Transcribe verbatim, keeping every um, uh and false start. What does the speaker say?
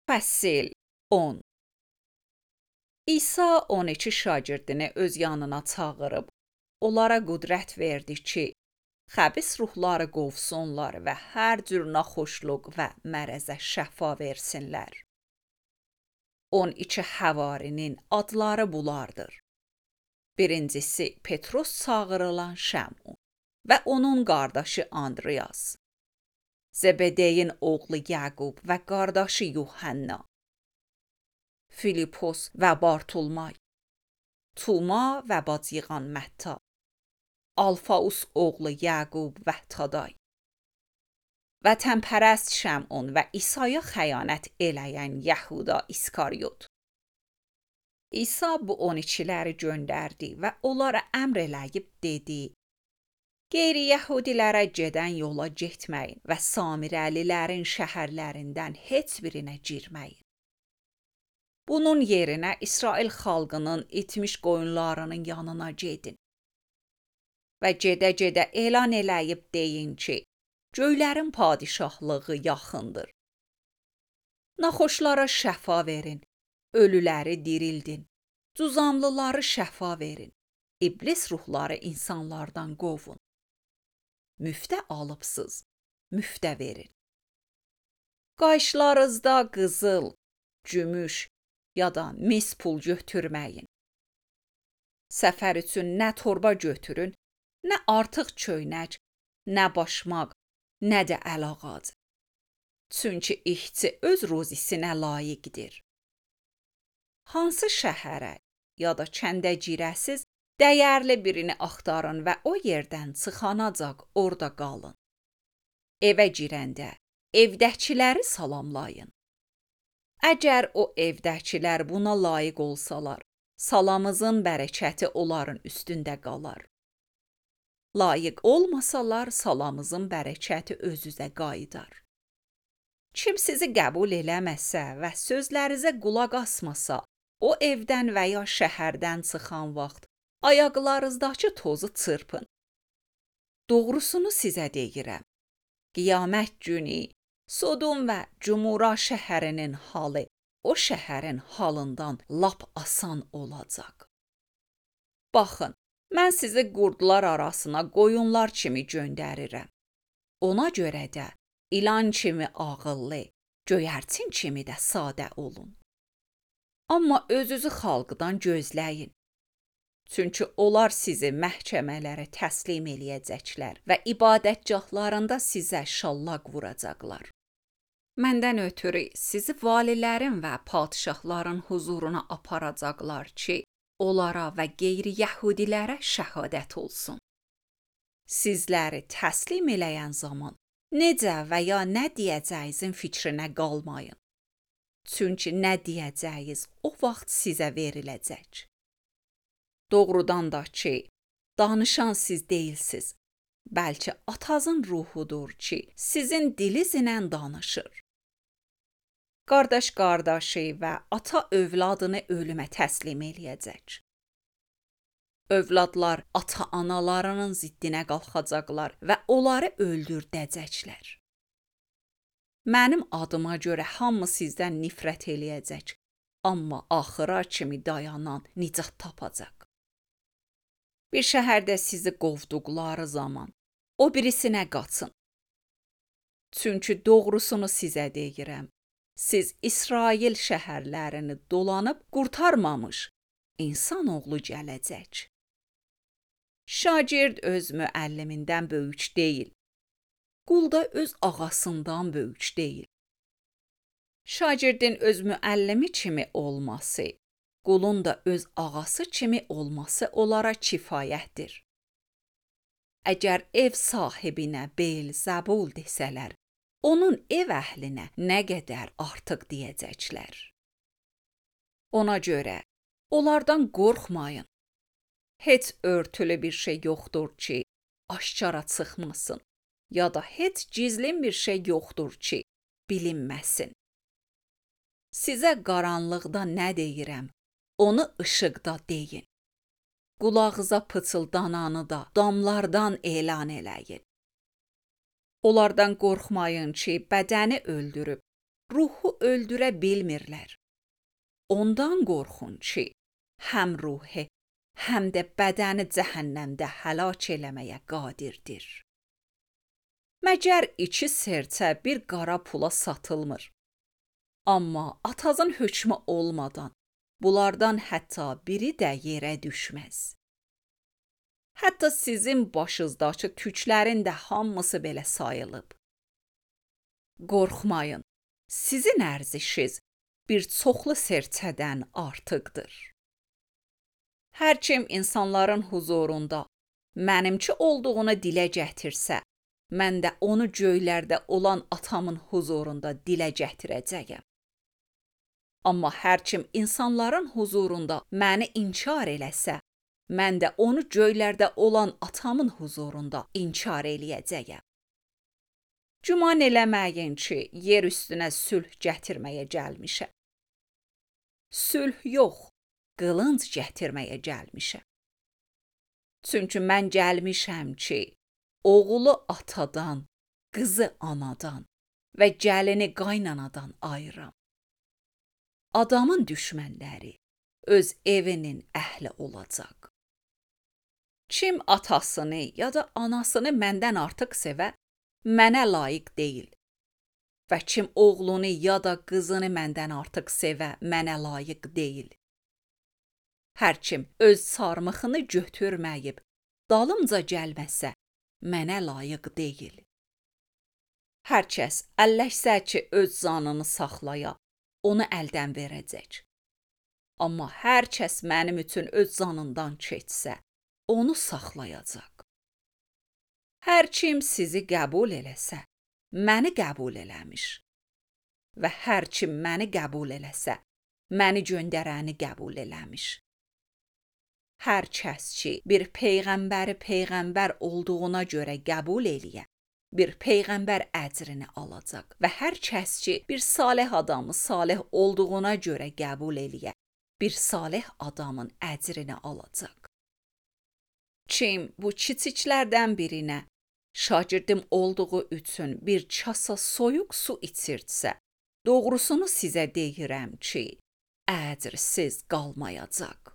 Fəsil on. İsa on iki şagirdini öz yanına çağırıb, onlara qüdrət verdi ki, xəbis ruhları qovsunlar və hər cür naxoşluq və mərəzə şəfa versinlər. on iki həvarinin adları bulardır. Birincisi Petros çağırılan Şəmun və onun qardaşı Andreas, Zebedeyin oğlu Yaqub və qardaşı Yuhanna, Filipos və Bartolmay, Tuma və bacıyğan Mətta, Alfaus oğlu Yaqub və Taday, vətənpərəst Şəmun və İsa'ya xəyanət eləyən Yəhuda İskaryot. İsa bu on ikiləri göndərdi və onlara əmr eləyib dedi: Qeyri-Yəhudilərə gedən yola getməyin və Samirəlilərin şəhərlərindən heç birinə girməyin. Bunun yerinə İsrail xalqının itmiş qoyunlarının yanına gedin və gedə-gedə elan eləyib deyin ki, göylərin padişahlığı yaxındır. Naxoşlara şəfa verin, ölüləri dirildin, cuzamlıları şəfa verin, iblis ruhları insanlardan qovun. Müftə alıbsız, müftə verin. Qayışlarınızda qızıl, gümüş ya da mis pul götürməyin. Səfər üçün nə torba götürün, nə artıq köynək, nə başmaq, nə də əlağac. Çünki işçi öz ruzisinə layiqdir. Hansı şəhərə ya da kəndə girəsiz, dəyərli birini axtarın və o yerdən çıxanacaq orada qalın. Evə girəndə evdəkiləri salamlayın. Əgər o evdəkilər buna layiq olsalar, salamınızın bərəkəti onların üstündə qalar. Layiq olmasalar, salamınızın bərəkəti özünüzə qayıdar. Kim sizi qəbul eləməsə və sözlərinizə qulaq asmasa, o evdən və ya şəhərdən çıxan vaxt ayaqlarınızdakı tozu çırpın. Doğrusunu sizə deyirəm. Qiyamət günü Sodom və Cümura şəhərinin halı o şəhərin halından lap asan olacaq. Baxın, mən sizi qurdlar arasına qoyunlar kimi göndərirəm. Ona görə də ilan kimi ağıllı, göyərçin kimi də sadə olun. Amma özünüzü xalqdan gözləyin. Çünki onlar sizi məhkəmələrə təslim eləyəcəklər və ibadətgahlarında sizə şallaq vuracaqlar. Məndən ötürü sizi valilərin və padişahların huzuruna aparacaqlar ki, onlara və qeyri-yəhudilərə şəhadət olsun. Sizləri təslim eləyən zaman necə və ya nə deyəcəyinizin fikrinə qalmayın. Çünki nə deyəcəyiniz o vaxt sizə veriləcək. Doğrudan da ki, danışan siz deyilsiz, bəlkə Atanızın ruhudur ki, sizin dilinizlə danışır. Qardaş qardaşı və ata övladını ölümə təslim eləyəcək. Övladlar ata-analarının ziddinə qalxacaqlar və onları öldürdəcəklər. Mənim adıma görə hamı sizdən nifrət eləyəcək, amma axıra kimi dayanan nicat tapacaq. Bir şəhərdə sizi qovduqları zaman o birisinə qaçın. Çünki doğrusunu sizə deyirəm, siz İsrail şəhərlərini dolanıb qurtarmamış insanoğlu gələcək. Şagird öz müəllimindən böyük deyil, qul da öz ağasından böyük deyil. Şagirdin öz müəllimi kimi olması, qulun da öz ağası kimi olması onlara kifayətdir. Əgər ev sahibinə Beelzəbul desələr, onun ev əhlinə nə qədər artıq deyəcəklər. Ona görə onlardan qorxmayın. Heç örtülü bir şey yoxdur ki, aşkara çıxmasın, ya da heç gizlin bir şey yoxdur ki, bilinməsin. Sizə qaranlıqda nə deyirəm, onu işıqda deyin. Qulağınıza pıçıldananı da damlardan elan eləyin. Onlardan qorxmayın ki, bədəni öldürüb, ruhu öldürə bilmirlər. Ondan qorxun ki, həm ruhi, həm də bədəni cəhənnəmdə həlak eləməyə qadirdir. Məgər iki serçə bir qara pula satılmır. Amma atazın hökmü olmadan bunlardan hətta biri də yerə düşməz. Hətta sizin başınızdakı tüklərin də hamısı belə sayılıb. Qorxmayın, sizin ərzişiniz bir çoxlu serçədən artıqdır. Hər kim insanların huzurunda mənimki olduğunu dilə gətirsə, mən də onu göylərdə olan atamın huzurunda dilə gətirəcəyəm. Amma hər kim insanların huzurunda məni inkar eləsə, mən də onu göylərdə olan atamın huzurunda inkar eləyəcəyəm. Güman eləməyin ki, yer üstünə sülh gətirməyə gəlmişəm. Sülh yox, qılınc gətirməyə gəlmişəm. Çünki mən gəlmişəm ki, oğlu atadan, qızı anadan və gəlini qaynanadan ayıram. Adamın düşmənləri öz evinin əhli olacaq. Kim atasını ya da anasını məndən artıq sevə, mənə layiq deyil. Və kim oğlunu ya da qızını məndən artıq sevə, mənə layiq deyil. Hər kim öz sarmıxını götürməyib, dalımca gəlməsə, mənə layiq deyil. Hər kəs əlləşsə ki, öz canını saxlaya, onu əldən verəcək. Amma hər kəs mənim üçün öz canından keçsə, onu saxlayacaq. Hər kim sizi qəbul eləsə, məni qəbul eləmiş. Və hər kim məni qəbul eləsə, məni göndərəni qəbul eləmiş. Hər kəs ki, bir peyğəmbəri peyğəmbər olduğuna görə qəbul eləyə, bir peyğəmbər əcrini alacaq. Və hər kəs ki, bir salih adamı salih olduğuna görə qəbul eləyə, bir salih adamın əcrini alacaq. Kim bu kiçiklərdən birinə şagirdim olduğu üçün bir kasa soyuq su içirtsə, doğrusunu sizə deyirəm ki, əcrsiz qalmayacaq.